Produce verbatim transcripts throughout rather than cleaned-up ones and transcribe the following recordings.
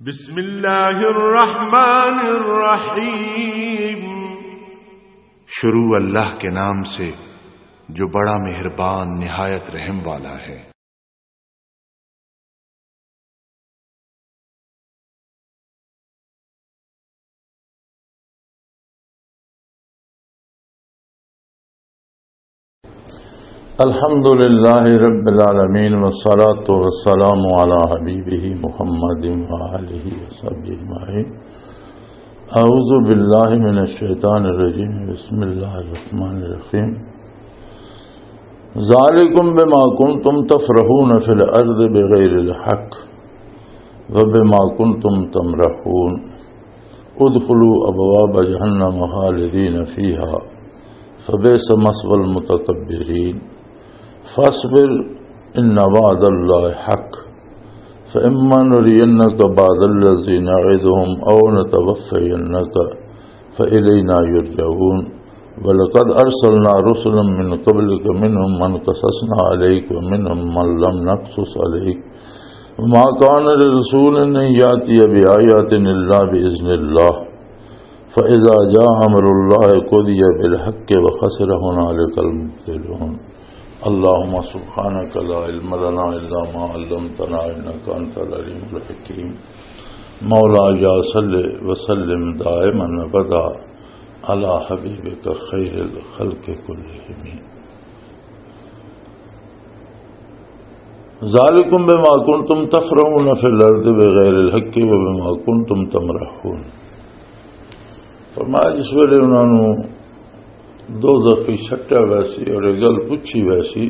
بسم اللہ الرحمن الرحیم۔ شروع اللہ کے نام سے جو بڑا مہربان نہایت رحم والا ہے۔ الحمد لله رب العالمين، والصلاة والسلام على حبيبه محمد وآله وصحبه أجمعين. أعوذ بالله من الشيطان الرجيم. بسم الله الرحمن الرحيم. ذلكم بما كنتم تفرحون في الأرض بغير الحق وبما كنتم تمرحون. ادخلوا أبواب جهنم خالدين فيها فبئس مثوى المتكبرين. فاصبر إن وعد الله حق. فإما نرينك بعض الذي نعدهم أو نتوفينك فإلينا يرجعون. ولقد أرسلنا رسلا من قبلك منهم من قصصنا عليك ومنهم من لم نقصص عليك. وما كان لرسول أن يأتي بآية إلا بإذن الله. فإذا جاء أمر الله قضي بالحق وخسر هنالك المبطلون. اللهم سبحانك لا علم لنا إلا ما علمتنا إنك أنت العليم الحكيم. مولاي صل وسلم دائما أبدا على حبيبك خير الخلق كلهم. ذالکم بما کنتم تفرحون فی الارض بغیر الحق و بما کنتم تمرحون۔ فرمایا، جس ویلے انہاں نوں دوزخ وچ سٹیا ویسی اور یہ گل پوچھی ویسی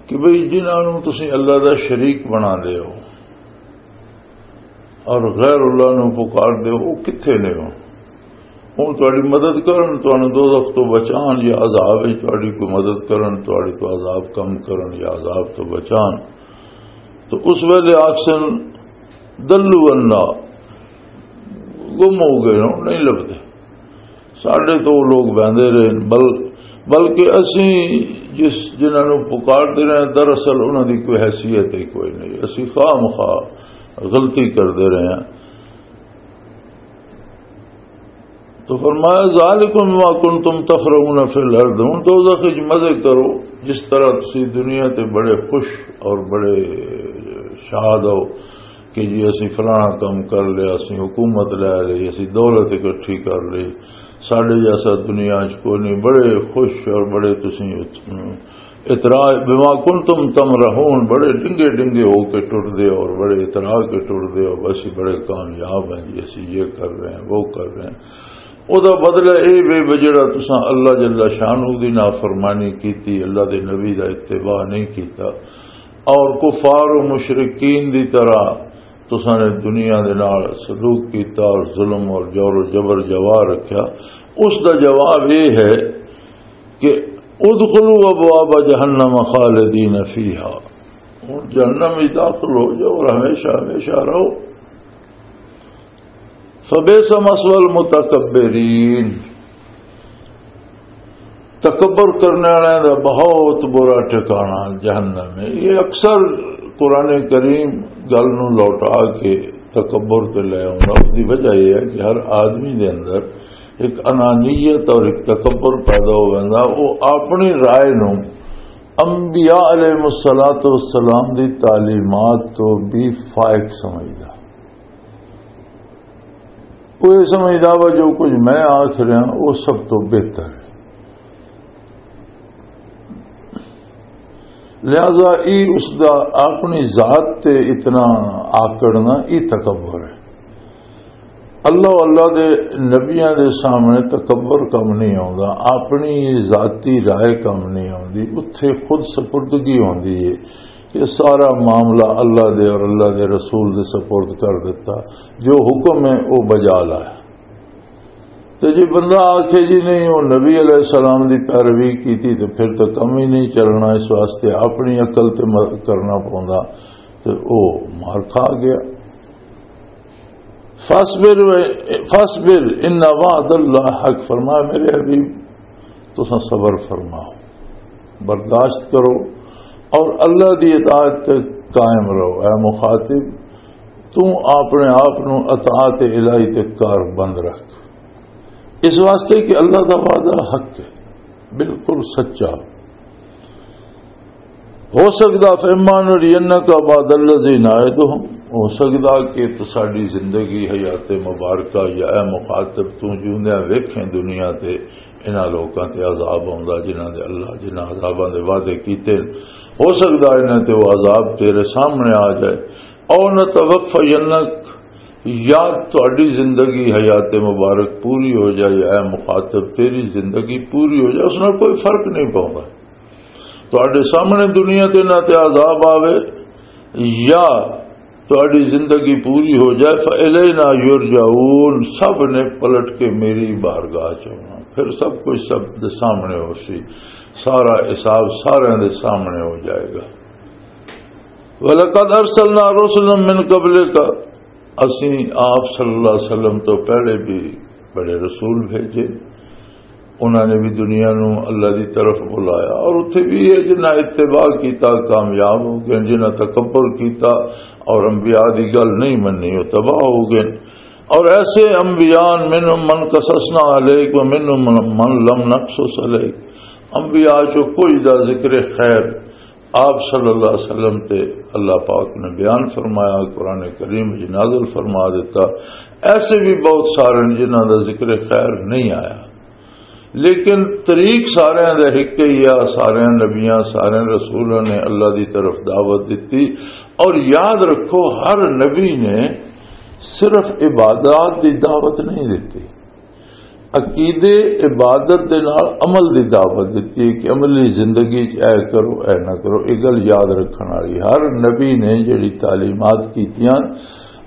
کہ بھئی، جنہاں نوں تسی اللہ دا شریک بنا دے ہو اور غیر اللہ نوں پکار دے ہو، وہ کتھے نے ہو؟ ہن تہاڈی مدد کرن، تہانوں دوزخ تو بچان، یا عذاب وچ تہاڈی کوئی مدد کرن، تہاڈی تو عذاب کم کرن یا عذاب تو بچان۔ تو اس ویلے آکھسن، دلو انا، گم ہو گئے ہو، نہیں لبدے۔ ساڈے تو وہ لوگ بہندے رہے، بل-، بلکہ اسی جس، جنہاں نوں پکاردے رہے، دراصل انہاں دی کوئی حیثیت ہی کوئی نہیں۔ اسی خواہ مخواہ غلطی کردے رہے ہیں۔ تو فرمایا، ذالکم ما کنتم تفرحون فی الارض، ہن دوزخ وچ مزے کرو، جس طرح تسی دنیا تے بڑے خوش اور بڑے شاد ہو کہ جی اسی فلانا کام کر لیا، اسی حکومت لے لئی، اسی دولت اکٹھی کر لئی، ساڈے جیسا دنیا وچ کوئی نہیں، بڑے خوش اور بڑے تسی اتراج، بما کنتم تمرحون، بڑے ڈنگے ڈنگے ہو کے ٹردے اور بڑے اترا کے ٹردے ہو، اسی بڑے کامیاب ہیں جی، اسی یہ کر رہے ہیں، وہ کر رہے ہیں۔ او دا بدلہ اے وے وے جڑا تساں اللہ جل شانہ دی نافرمانی کیتی، اللہ دے نبی دا اتباع نہیں کیتا، اور کفار و مشرکین دی طرح تساں نے دنیا دے نال سلوک کیتا اور ظلم اور جور و جبر جوا رکھیا، اس دا جواب اے ہے کہ ادخلوا ابواب جہنم خالدین فیہا، ہن جہنم وچ داخل ہو جاؤ اور ہمیشہ ہمیشہ رہو۔ فبئس مثوى المتکبرین، تکبر کرنے والے دا بہت برا ٹھکانہ جہنم ہے۔ یہ اکثر قرآن کریم گل نو لوٹا کے تکبر تے لے آؤں گا۔ اس دی وجہ یہ ہے کہ ہر آدمی دے اندر ایک انانیت اور ایک تکبر پیدا ہو ویندا۔ وہ اپنی رائے نو انبیاء علیہ الصلوۃ والسلام دی تعلیمات تو بھی فائق سمجھدا۔ وہ یہ سمجھدا وا جو کچھ میں آکھ رہا وہ سب تو بہتر ہے۔ لہذا ای اس دا اپنی ذات تے اتنا آکڑنا ای تکبر ہے۔ اللہ، اللہ دے نبیاں دے سامنے تکبر کم نہیں آوندا، اپنی ذاتی رائے کم نہیں آوندی، اتھے خود سپردگی ہوندی ہے۔ یہ سارا معاملہ اللہ دے اور اللہ دے رسول دے سپرد کر دیتا، جو حکم ہے وہ بجا لایا۔ تے جے بندہ آکھے جی نہیں، وہ نبی علیہ السلام دی پیروی کیتی، تے پھر تو کم ہی نہیں چلنا، اس واسطے اپنی عقل تے م-، کرنا پوندا، تے او مار کھا گیا۔ فاصبر و-، فاصبر ان وعد اللہ حق، فرمایا میرے حبیب، تساں صبر فرماؤ، برداشت کرو اور اللہ دی اطاعت تے قائم رہو۔ اے مخاطب، تو اپنے آپ نو اطاعت الہی تے کار بند رکھ، اس واسطے کہ اللہ دا وعدہ حق ہے، بالکل سچا۔ ہو سکدا، فَإِمَّا نُرِيَنَّكَ بَعْضَ الَّذِي نَعِدُهُمْ، ہو سکدا کہ تو ساڈی زندگی حیات مبارکہ یا اے مخاطب تو جیوندیاں ویکھیں دنیا تے انہاں لوکاں تے عذاب آوندا جنہاں دے اللہ، جنہاں عذاباں دے وعدے کیتے۔ ہو سکدا انہاں تے وہ عذاب تیرے سامنے آ جائے۔ او نتوفینک، یا تہاڈی زندگی حیات مبارک پوری ہو جائے، اے مخاطب تیری زندگی پوری ہو جائے، اس نال کوئی فرق نہیں پوندا۔ تہاڈے سامنے دنیا تے نہ تے عذاب آوے یا تہاڈی زندگی پوری ہو جائے، فَإِلَيْنَا يُرْجَعُونَ، سب نے پلٹ کے میری بارگاہ چ آنا، پھر سب کچھ سب دے سامنے ہو سی، سارا حساب سارے دے سامنے ہو جائے گا۔ وَلَقَدْ أَرْسَلْنَا رُسُلًا مِّن قَبْلِكَ، اسیں آپ صلی اللہ علیہ وسلم تو پہلے بھی بڑے رسول بھیجے، انہاں نے بھی دنیا نو اللہ دی طرف بلایا، اور اتھے بھی یہ جنہاں اتباع کیتا کامیاب ہو گئے، جنہاں تکبر کیتا اور انبیاء دی گل نہیں منی وہ تباہ ہو گئے۔ اور ایسے انبیاء، منهم من قصصنا عليك ومنهم من لم نقصص عليك، انبیاء چو کچھ دا ذکر خیر آپ صلی اللہ علیہ وسلم تے اللہ پاک نے بیان فرمایا، قرآن کریم وچ نازل فرما دیتا۔ ایسے بھی بہت سارے ہیں جنہاں دا ذکر خیر نہیں آیا، لیکن طریق سارے دا ایک ہی آ، سارے نبیاں، سارے رسولوں نے اللہ دی طرف دعوت دیتی۔ اور یاد رکھو، ہر نبی نے صرف عبادات دی دعوت نہیں دیتی، عقیدے، عبادت دے نال عمل دی دعوت دتی ہے کہ عملی زندگی چ اے کرو، اے نہ کرو۔ یہ گل یاد رکھن والی، ہر نبی نے جڑی تعلیمات کیتیاں،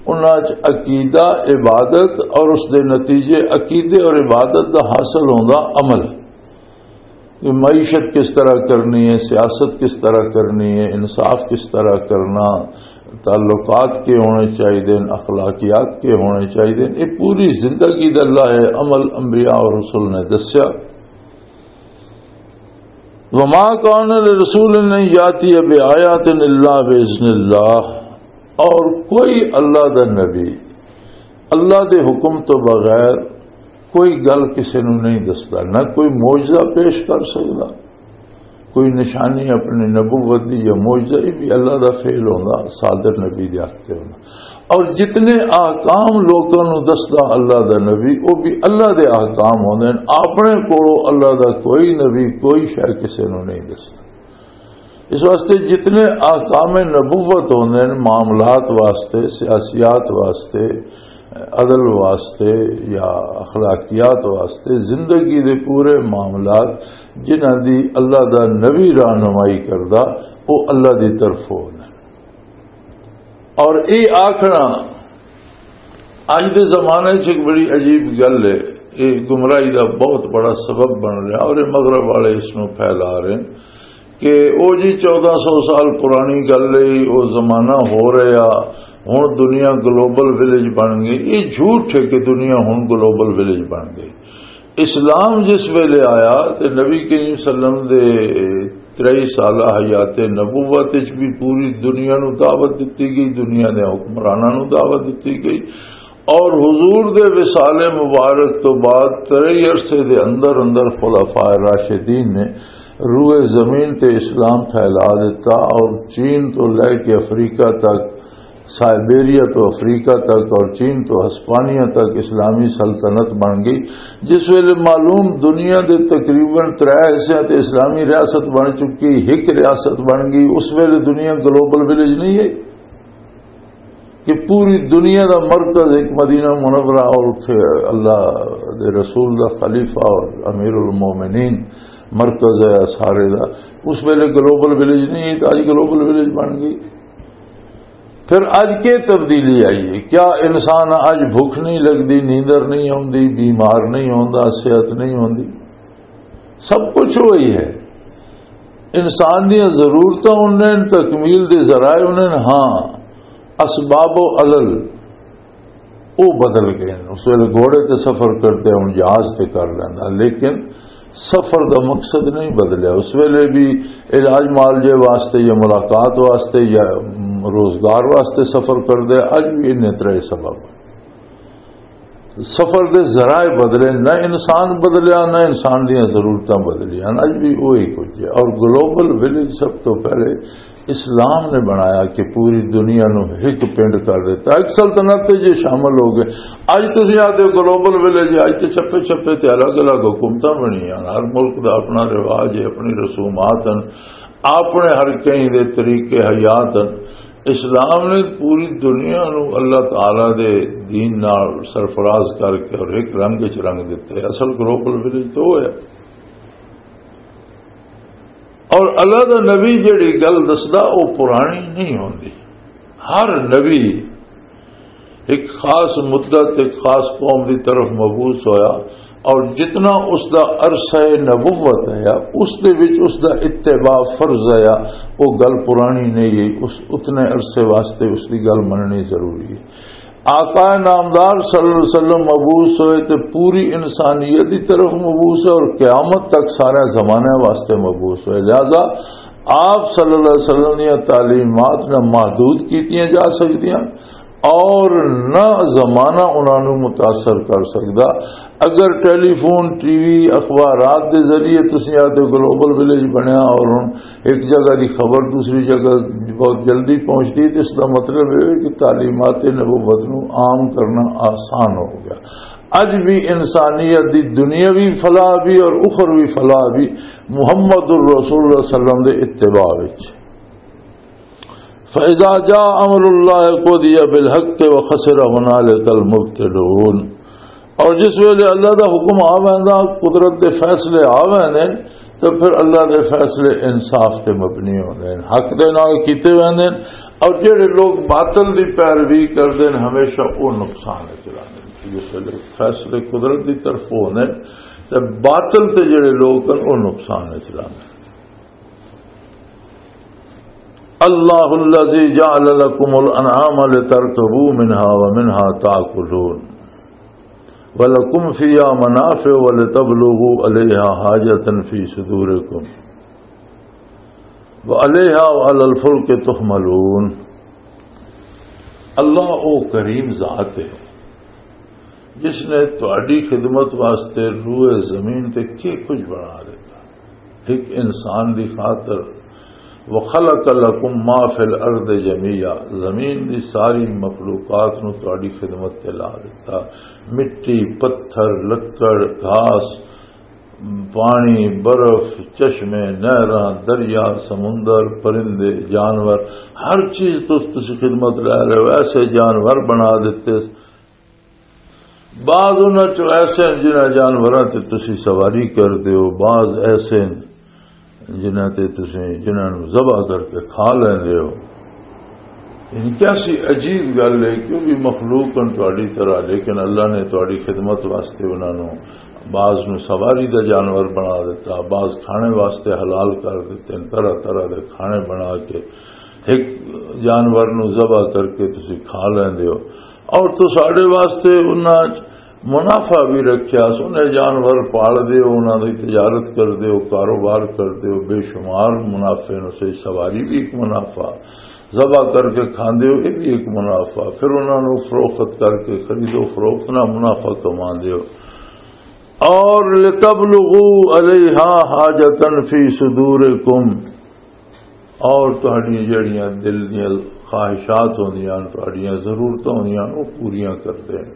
انہاں چ عقیدہ، عبادت اور اس دے نتیجے، عقیدے اور عبادت دا حاصل ہوندا عمل، کہ معیشت کس طرح کرنی ہے، سیاست کس طرح کرنی ہے، انصاف کس طرح کرنا، تعلقات کے ہونے چاہیے، اخلاقیات کے ہونے چاہیے۔ یہ پوری زندگی دا اللہ ہے، عمل انبیاء اور رسول نے دسیا۔ وما كان لرسول أن يأتي بآية إلا بإذن الله، اور کوئی اللہ دا نبی اللہ دے حکم تو بغیر کوئی گل کسے نوں نہیں دسدا، نہ کوئی معجزہ پیش کر سکدا، کوئی نشانی اپنی نبوت دی یا معجزہ، یہ بھی اللہ دا فعل ہوندا، صادر نبی دے ہاتھ تے ہوندا۔ اور جتنے احکام لوکاں نوں دسدا اللہ دا نبی، وہ بھی اللہ دے احکام ہوندے نے۔ اپنے کولوں اللہ دا کوئی نبی کوئی شے کسے نوں نہیں دسدا۔ اس واسطے جتنے احکام نبوت ہوندے نے معاملات واسطے، سیاسیات واسطے، عدل واسطے یا اخلاقیات واسطے، زندگی دے پورے معاملات جنہاں دی اللہ دا نبی رہنمائی کردا، وہ اللہ دی طرف ہوندے۔ اور یہ آکھنا اج دے زمانے چ ایک بڑی عجیب گل ہے، یہ گمراہی دا بہت بڑا سبب بن رہا اور یہ مغرب والے اس نو پھیلا رہے ہیں کہ او جی، چودہ سو سال پرانی گل ہے، وہ زمانہ ہو رہا، ہن دنیا گلوبل ولیج بن گئی۔ یہ جھوٹ ہے کہ دنیا ہن گلوبل ولیج بن گئی۔ اسلام جس ویلے آیا تے نبی کریم صلی اللہ علیہ وسلم دے تریہی سالہ حیات نبوت وچ بھی پوری دنیا نو دعوت دتی گئی، دنیا دے حکمراناں نو دعوت دتی گئی، اور حضور دے وصال مبارک تو بعد تریہی عرصے دے اندر اندر خلفاء راشدین نے روئے زمین تے اسلام پھیلا دیتا، اور چین تو لے کے افریقہ تک، سائبیریا تو افریقہ تک اور چین تو ہسپانیہ تک اسلامی سلطنت بن گئی، جس ویلے معلوم دنیا دے تقریباً ترے حصے تے اسلامی ریاست بن چکی، ایک ریاست بن گئی، اس ویلے دنیا گلوبل ولیج نہیں ہے کہ پوری دنیا دا مرکز ایک مدینہ منورہ اور اتھے اللہ دے رسول دا خلیفہ اور امیر المومنین مرکز ہے سارے دا۔ اس ویلے گلوبل ولیج نہیں ہے، تو اج گلوبل ولیج بن گئی۔ پھر اج کے تبدیلی آئی ہے؟ کیا انسان اج بھوک نہیں لگدی، نیندر نہیں آوندی، بیمار نہیں ہوندا، صحت نہیں ہوندی؟ سب کچھ وہی ہے۔ انسان دیاں ضرورتاں انہیں، تکمیل دے ذرائع انہیں، ہاں، اسباب و علل وہ بدل گئے ہیں۔ اس ویلے گھوڑے تے سفر کرتے، ہن جہاز تے کر لینا، لیکن سفر دا مقصد نہیں بدلیا۔ اس ویلے بھی علاج معالجے واسطے یا ملاقات واسطے یا، م، روزگار واسطے سفر کردے، اج بھی انہیں ترے سبب۔ سفر دے ذرائع بدلے، نہ انسان بدلیا، نہ انسان دیاں ضرورتاں بدلیاں، اج بھی وہی کچھ ہے۔ اور گلوبل ولیج سب تو پہلے اسلام نے بنایا کہ پوری دنیا نو ہک پنڈ کر دیتا۔ ایک سلطنت تے جے شامل ہو گئے، اج تسی آتے گلوبل ولیج، اج تے چھپے چھپے تے الگ الگ حکومتاں بنیاں، ہر ملک دا اپنا رواج ہے، اپنی رسومات ہیں، اپنے ہر کہیں دے طریقے حیات ہیں۔ اسلام نے پوری دنیا نو اللہ تعالی دے دین نال سرفراز کر کے اور ایک رنگ وچ رنگ دتا ہے۔ اصل گلوبل ولیج تو وہ ہے۔ اور اللہ دا نبی جڑی گل دسدا، وہ پرانی نہیں ہوندی۔ ہر نبی ایک خاص مدت، ایک خاص قوم دی طرف مبعوث ہویا، اور جتنا اس دا عرصہ نبوت ہے، اس دے وچ اس دا اتباع فرض ہے، وہ گل پرانی نہیں ہے، اس اتنے عرصے واسطے اس دی گل مننی ضروری ہے۔ آقا نامدار صلی اللہ علیہ وسلم مبعوث ہوئے تے پوری انسانیت دی طرف مبعوث ہے، اور قیامت تک سارے زمانے واسطے مبعوث ہوئے۔ لہذا آپ صلی اللہ علیہ وسلم دیاں تعلیمات نہ محدود کیتیاں جا سکدیاں، اور نہ زمانہ انہاں نوں متاثر کر سکدا۔ اگر ٹیلی فون، ٹی وی، اخبارات دے ذریعے تسی آتے گلوبل ولیج بنیا اور ہن ایک جگہ دی خبر دوسری جگہ بہت جلدی پہنچدی، تے اس دا مطلب یہ ہے کہ تعلیمات نبوت نوں عام کرنا آسان ہو گیا۔ اج بھی انسانیت دی دنیاوی فلاح بھی اور اخروی فلاح بھی محمد الرسول اللہ صلی اللہ علیہ وسلم دے اتباع وچ۔ فَإِذَا جَاءَ أَمْرُ اللَّهِ قُضِيَ بِالْحَقِّ وَخَسِرَ هُنَالِكَ الْمُبْطِلُونَ۔ اور جس ویلے اللہ دا حکم آ ویندا، قدرت دے فیصلے آ ویندے، تو پھر اللہ دے فیصلے انصاف تے مبنی ہوندے ہیں، حق دے نال کیتے ویندے ہیں، اور جڑے لوگ باطل دی پیروی کردے ہیں، ہمیشہ وہ نقصان وچ رہندے ہیں۔ جس ویلے فیصلے قدرت دی طرف ہوندے ہیں، تے باطل تے جڑے لوگ ہیں، وہ نقصان وچ رہندے ہیں۔ اللہ الذی جعل لکم الانعام لترکبوا منها ومنها تاکلون ولکم فیها منافع ولتبلغوا علیها حاجة فی صدورکم وعلیها وعلی الفلک تحملون۔ اللہ او کریم ذات ہے جس نے تہاڈی خدمت واسطے روئے زمین تے کی کچھ بنا دیتا۔ ایک انسان دی خاطر، وَخَلَقَ لَكُم مَّا فِي الْأَرْضِ جَمِيعًا، زمین دی ساری مخلوقات نو تہاڈی خدمت تے لا دتا۔ مٹی، پتھر، لکڑ، گھاس، پانی، برف، چشمے، نہراں، دریا، سمندر، پرندے، جانور، ہر چیز تو تسی خدمت لے رہے ہو۔ ایسے جانور بنا دیتے، بعض انہاں چوں ایسے ہیں جنہاں جانوراں تے تسی سواری کر دیو، بعض ایسے ہیں جنہاں تے تسی، جنہاں نوں ذبح کر کے کھا لیندے ہو۔ یعنی کیسی عجیب گل ہے، کیونکہ مخلوق ہن تہاڈی طرح، لیکن اللہ نے تہاڈی خدمت واسطے انہاں نوں، بعض نوں سواری دا جانور بنا دیتا، بعض کھانے واسطے حلال کر دیتے ہیں، طرح طرح دے کھانے بنا کے ایک جانور نوں ذبح کر کے تسی کھا لیندے ہو۔ اور تساڈے واسطے انہاں منافع بھی رکھیا، سونے جانور پال دے ہو، انہاں دی تجارت کر دے ہو، کاروبار کر دے ہو، بے شمار منافع نوں سے سواری بھی ایک منافع، ذبح کر کے کھاندے ہو، یہ بھی ایک منافع، پھر انہاں نوں فروخت کر کے خرید و فروخت نہ منافع کماندے ہو۔ اور لتبلغوا علیہا حاجتاً فی صدورکم، اور تہاڈیاں جڑیاں دل دیاں خواہشات ہوندیاں، تہاڈیاں ضرورتاں ہوندیاں، وہ پوریاں کردے ہیں۔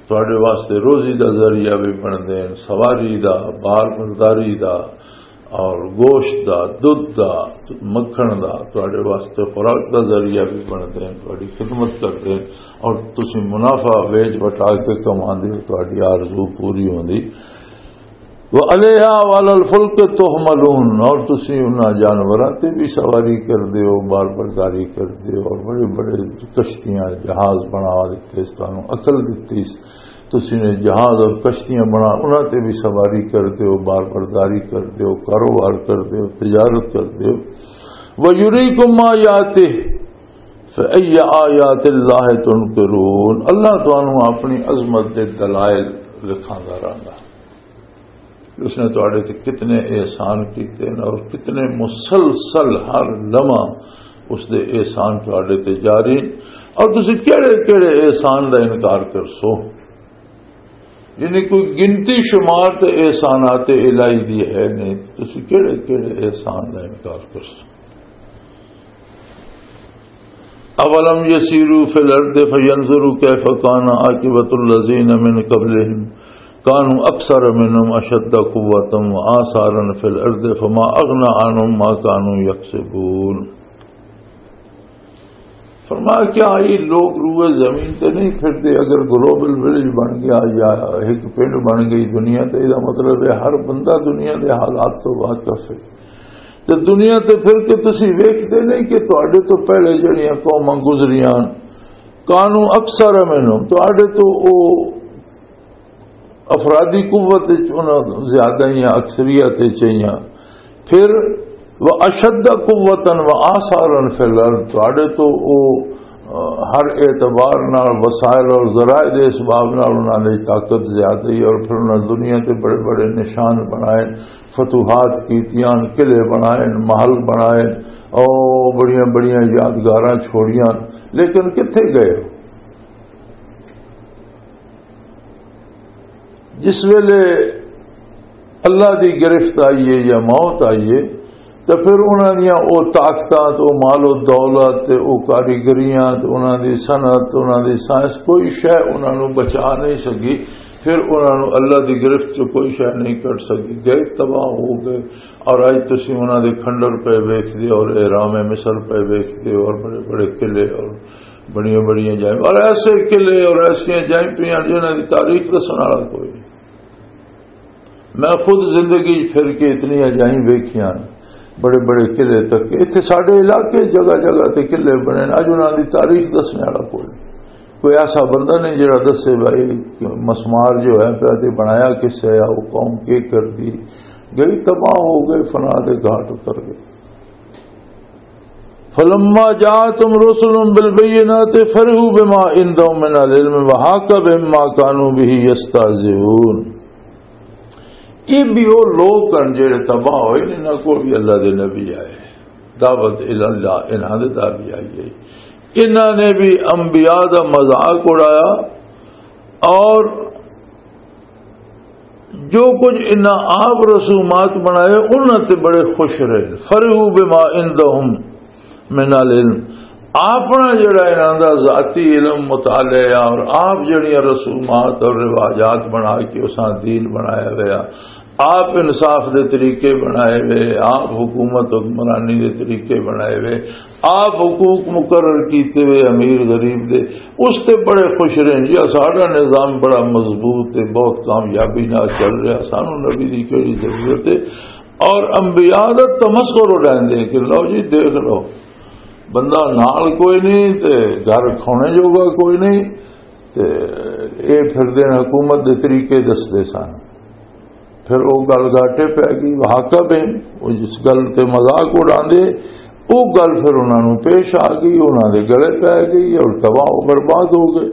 تہاڈے واسطے روزی دا ذریعہ بھی بندے ہیں، سواری دا، بار برداری دا، اور گوشت دا، دودھ دا، مکھن دا، تہاڈے واسطے خوراک دا ذریعہ بھی بندے ہیں، تہاڈی خدمت کردے ہیں، اور تسی منافع ویچ وٹا کے کماندے ہو، تہاڈی آرزو پوری ہوندی۔ وعلیہا وعلی الفلک تحملون، اور تسی انہاں جانوراں تے بھی سواری کردے ہو، بار برداری کردے ہو، اور بڑے بڑے کشتیاں، جہاز بنا دیتے، اس تانوں عقل دتی، تسی نے جہاز اور کشتیاں بنا، انہاں تے بھی سواری کردے ہو، بار برداری کردے ہو، کاروبار کردے ہو، تجارت کردے ہو۔ وَيُرِيكُمْ آيَاتِهِ فَأَيَّ آيَاتِ اللَّهِ تُنْكِرُونَ، اللہ تانوں اپنی عظمت دے دلائل دکھاندا رہندا۔ اس نے تہاڈے تے کتنے احسان کیتے ہیں اور کتنے مسلسل ہر لمحہ اس دے احسان تہاڈے تے جاری۔ اور تسی کہڑے کہڑے احسان دا انکار کرسو؟ یعنی کوئی گنتی شمار تے احسانات الہی دی ہے نہیں، تسی کہڑے کہڑے احسان دا انکار کرسو؟ اولم یسیروا فی الارض فینظروا کیف کان عاقبۃ الذین من قبلہم کانوا اکثر منہم اشد قوۃ و آثارا فی الارض فما اغنی عنہم ما کانوا یکسبون۔ فرمایا، کیا یہ لوگ روئے زمین تے نہیں پھردے؟ اگر گلوبل ولیج بن گیا یا ایک پنڈ بن گئی دنیا، تے یہ مطلب ہے ہر بندہ دنیا دے حالات تو واقف ہے۔ تے دنیا تے پھر کے تسی ویکھدے نہیں کہ تہاڈے تو پہلے جڑیاں قوماں گزریاں، کانوا اکثر منہم، تہاڈے تو او افرادی قوت وچ انہاں زیادہ ہی اکثریت وچ ہی۔ پھر وَأَشَدَّ قُوَّةً وَآثَارًا فِي الْأَرْضِ، تہاڈے تو او، آ، ہر اعتبار نال، وسائل اور ذرائع دے اسباب نال انہاں دی طاقت زیادہ ہی، اور پھر انہاں دنیا تے بڑے بڑے نشان بنائے، فتوحات کیتیاں، قلعے بنائے، محل بنائے، او بڑیاں بڑیاں یادگاراں چھوڑیاں، لیکن کتھے گئے؟ جس ویلے اللہ دی گرفت آئی ہے یا موت آئی ہے، تو پھر انہاں دیاں او طاقتاں تے او مال و دولت تے او کاریگریاں تے انہاں دی صنعت، انہاں دی سائنس، کوئی شے انہاں نوں بچا نہیں سکی۔ پھر انہاں نوں اللہ دی گرفت چ کوئی شے نہیں کڈ سکی، گئے، تباہ ہو گئے۔ اور اج تسی انہاں دے کھنڈر پہ ویکھدے ہو اور اہرام مصر پہ ویکھدے ہو اور بڑے بڑے قلعے اور بڑیاں بڑیاں جائیں اور ایسے قلعے اور ایسیاں جائیں پیاں جنہاں دی تاریخ دسن والا کوئی نہیں۔ میں خود زندگی پھر کے اتنی جائیں ویکھیاں، بڑے بڑے قلعے تک۔ اتھے ساڈے علاقے جگہ جگہ تے قلعے بنے، اج انہاں دی تاریخ دسنے والا کوئی نہیں۔ کوئی ایسا بندہ نہیں جڑا دسے بھائی مسمار جو ہے پیا تے بنایا کس ہے، وہ قوم کی کر دی گئی، تباہ ہو گئے، فنا دے گھاٹ اتر گئے۔ فلما جاءتهم رسلهم بالبينات فرحوا بما عندهم من العلم وحاق بهم ما كانوا به يستهزئون۔ یہ بھی وہ لوگ ہیں جڑے تباہ ہوئے، انہاں کو بھی اللہ دے نبی آئے، دعوت الی اللہ، انہاں دے دعوی آئی ہے۔ انہاں نے بھی انبیاء دا مذاق اڑایا اور جو کچھ انہاں آپ رسومات بنائے، انہاں تے بڑے خوش رہے۔ فرحوا بما عندهم من العلم، اپنا جڑا انہاں دا ذاتی علم، مطالعہ اور آپ جڑیاں رسومات اور رواجات بنا کے اساں دین بنایا ہویا، آپ انصاف دے طریقے بنائے ہوئے، آپ حکومت حکمرانی دے طریقے بنائے ہوئے، آپ حقوق مقرر کیتے ہوئے امیر غریب دے، اس تے بڑے خوش رہن جی، ساڈا نظام بڑا مضبوط ہے، بہت کامیابی نال چل رہا، سانو نبی دی کیڑی ضرورت ہے؟ اور انبیاء دا تمسخر اڑاندے کہ لو جی دیکھ لو، بندہ نال کوئی نہیں تے گھر کھونے جوگا کوئی نہیں، تے اے پھر دین حکومت دے طریقے دسدے سن۔ پھر او گل گاٹے پی گئی، واقع بین، او جس گل تے مذاق اڑاندے، او گل پھر انہاں نوں پیش آ گئی، انہاں دے گلے پی گئی اور تباہ و برباد ہو گئے۔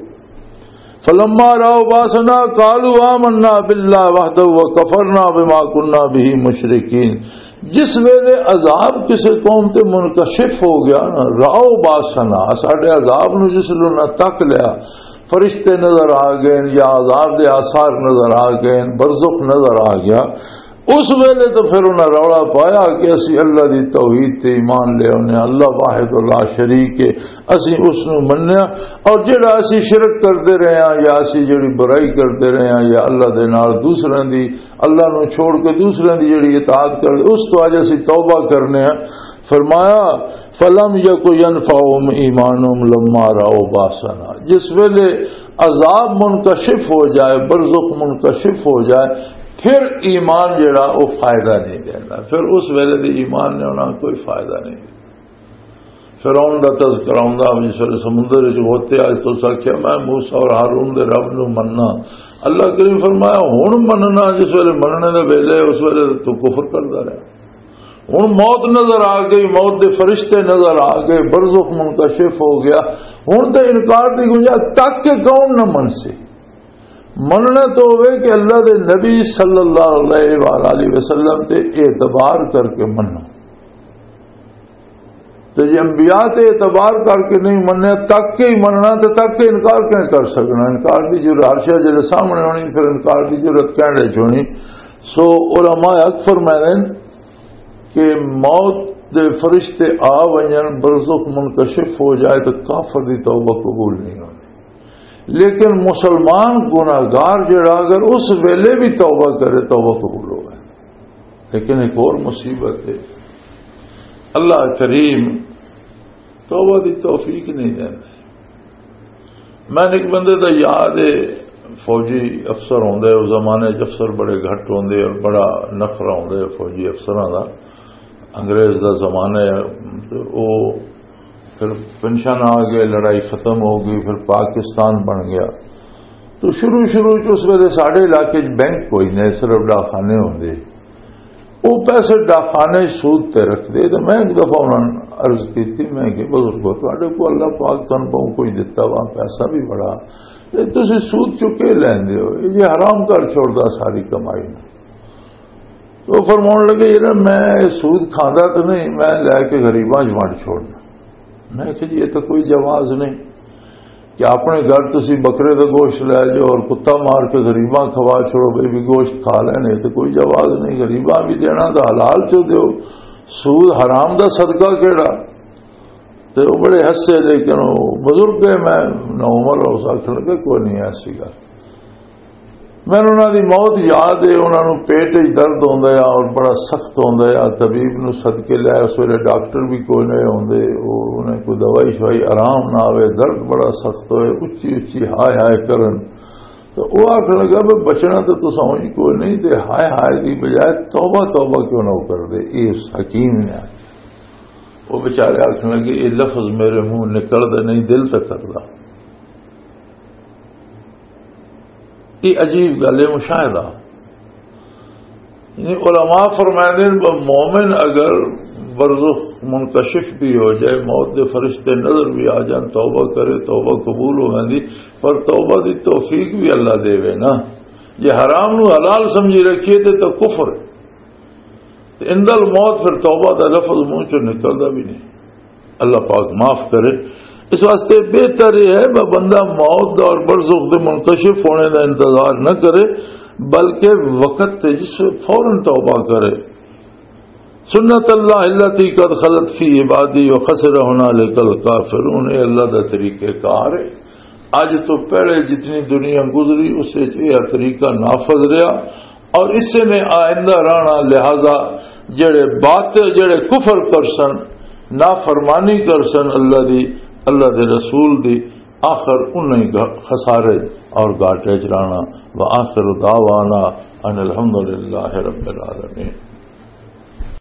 فلما راوا باسنا قالوا آمنا باللہ وحدہ وکفرنا بما کنا بہ مشرکین۔ جس ویلے عذاب کسی قوم تے منکشف ہو گیا نا، راو باسنا، ساڈے عذاب نو جس ویلے انہاں تک لیا، فرشتے نظر آ گئے یا عذاب دے آثار نظر آ گئے، برزخ نظر آ گیا، اس ویلے تو پھر انہاں رولا پایا کہ اسی اللہ دی توحید تے ایمان لے آنے، اللہ واحد اللہ شریک ہے، اسی اس نو منیا، اور جڑا اسی شرک کردے رہے ہاں یا اسی جڑی برائی کردے رہے ہاں یا اللہ دے نال دوسرے دی، اللہ نو چھوڑ کے دوسرے دی جڑی اطاعت کردے، اس تو اج اسی توبہ کرنے ہاں۔ فرمایا، فلم یک ینفعہم ایمانہم لما راو باسنا، جس ویلے عذاب منکشف ہو جائے، برزخ منکشف ہو جائے، پھر ایمان جڑا وہ فائدہ نہیں دینا، پھر اس ویلے دے ایمان نے انہاں کوئی فائدہ نہیں دینا۔ فرعون دا تذکرہ ہوندا، جس ویلے سمندر وچ غوطے آئے تو اس آکھیا، میں موسیٰ اور ہارون دے رب نو مننا۔ اللہ کریم فرمایا، ہن مننا، جس ویلے مننے دے ویلے، اس ویلے تو کفر کردا رہا۔ ہن موت نظر آ گئی، موت دے فرشتے نظر آ گئے، برزخ منکشف ہو گیا۔ ہن تے انکار دی گنجائش تک کہ کون نہ من سی۔ مننا تو ہوئے کہ اللہ دے نبی صلی اللہ علیہ وآلہ وسلم تے اعتبار کر کے منو۔ تے جے انبیاء تے اعتبار کر کے نہیں مننے، تک کے ہی مننا، تے تک کے انکار کیوں کر سکنا؟ انکار دی جرات ہر شے جڑے سامنے ہونی، پھر انکار دی جرات کہنے چ ہونی۔ سو علماء حق فرمائے کہ موت دے فرشتے آ ونجن، برزخ منکشف ہو جائے، تو کافر دی توبہ قبول نہیں ہونی۔ لیکن مسلمان گناہگار جڑا، اگر اس ویلے بھی توبہ کرے، توبہ قبول ہو گئے۔ لیکن ایک اور مصیبت ہے، اللہ کریم توبہ دی توفیق نہیں دینا۔ میں ایک بندے دا یاد ہے، فوجی افسر ہوندے، اس زمانے چ افسر بڑے گھٹ ہوندے اور بڑا نخرا ہوندے فوجی افسراں دا۔ انگریز دا زمانہ ہے، تے او پھر پنشن آ گئے، لڑائی ختم ہو گئی، پھر پاکستان بن گیا۔ تو شروع شروع چ اس ویلے ساڈے علاقے چ بینک کوئی نہیں، صرف ڈاکخانے ہوندے۔ وہ پیسے ڈاکخانے سود تے رکھتے۔ تو میں ایک دفعہ انہوں نے عرض کی تھی، میں کہ بزرگو، تواڈے کو اللہ پاک تن بہت کچھ دتا وا، پیسہ بھی بڑا، تے تسی سود چکے لیندے ہو؟ یہ حرام کر چھوڑدا ساری کمائی نوں۔ تو فرماؤن لگے، یہ نا، میں یہ سود کھاندا تو نہیں، میں لے کے غریباں چ ونڈ چھوڑنا۔ میں کہ جی، یہ تو کوئی جواز نہیں کہ اپنے گھر تسی بکرے دا گوشت لے جاؤ اور کتا مار کے غریباں کھوا چھوڑو، بھئی بھی گوشت کھا لینے، یہ تو کوئی جواز نہیں۔ غریباں بھی دینا تو حلال چو دیو، سود حرام دا صدقہ کیڑا؟ تے وہ بڑے ہسے، لیکن وہ بزرگ ہے، میں نہ عمر، اس آخر لگے، کوئی نہیں ایسی گل۔ مینوں انہاں دی موت یاد ہے، انہاں نوں پیٹ وچ درد ہوندا ہے اور بڑا سخت ہوندا ہے۔ طبیب نوں سد کے لے، اس ویلے ڈاکٹر بھی کوئی نہیں ہوندے، او انہیں کوئی دوائی شوائی آرام نہ آوے، درد بڑا سخت ہوئے، اچھی اچھی ہائے ہائے کرن۔ تو وہ آخر لگا، "بھی بچنا تو تساں ہی کوئی نہیں، تے ہائے ہائے دی بجائے توبہ توبہ کیوں نہ کر دے؟" یہ اس حکیم نے آخیا۔ وہ بیچارے آخر لگے، "یہ لفظ میرے منہ نکل دے نہیں، دل تک کردا۔" یہ عجیب گل ہے، مشاہدہ۔ یعنی علماء فرمائے نے، مومن اگر برزخ منکشف بھی ہو جائے، موت دے فرشتے نظر بھی آ جان، توبہ کرے، توبہ قبول ہو جاندی، پر توبہ دی توفیق بھی اللہ دے وے نا۔ جے حرام نو حلال سمجھی رکھیے تے تو کفر۔ تے عند الموت پھر توبہ دا لفظ منہ چوں نکلدا بھی نہیں۔ اللہ پاک معاف کرے۔ اس واسطے بہتر یہ ہے کہ بندہ موت دا اور برزخ دے منکشف ہونے دا انتظار نہ کرے، بلکہ وقت تے جس وقت فوراً توبہ کرے۔ سنت اللہ التی قد خلت فی عبادی و خسر ہنالک الکافرون، اے اللہ دا طریقہ کار ہے۔ اج تو پہلے جتنی دنیا گزری، اس وچ یہ طریقہ نافذ رہا اور اسے نے آئندہ رہنا۔ لہذا جڑے باطل، جڑے کفر کرسن، نافرمانی کرسن اللہ دی، اللہ دے رسول دی، آخر انہیں ہی گھ-، خسارے اور گھاٹے چ رہنا۔ وآخر دعوانا ان الحمد للہ رب العالمین۔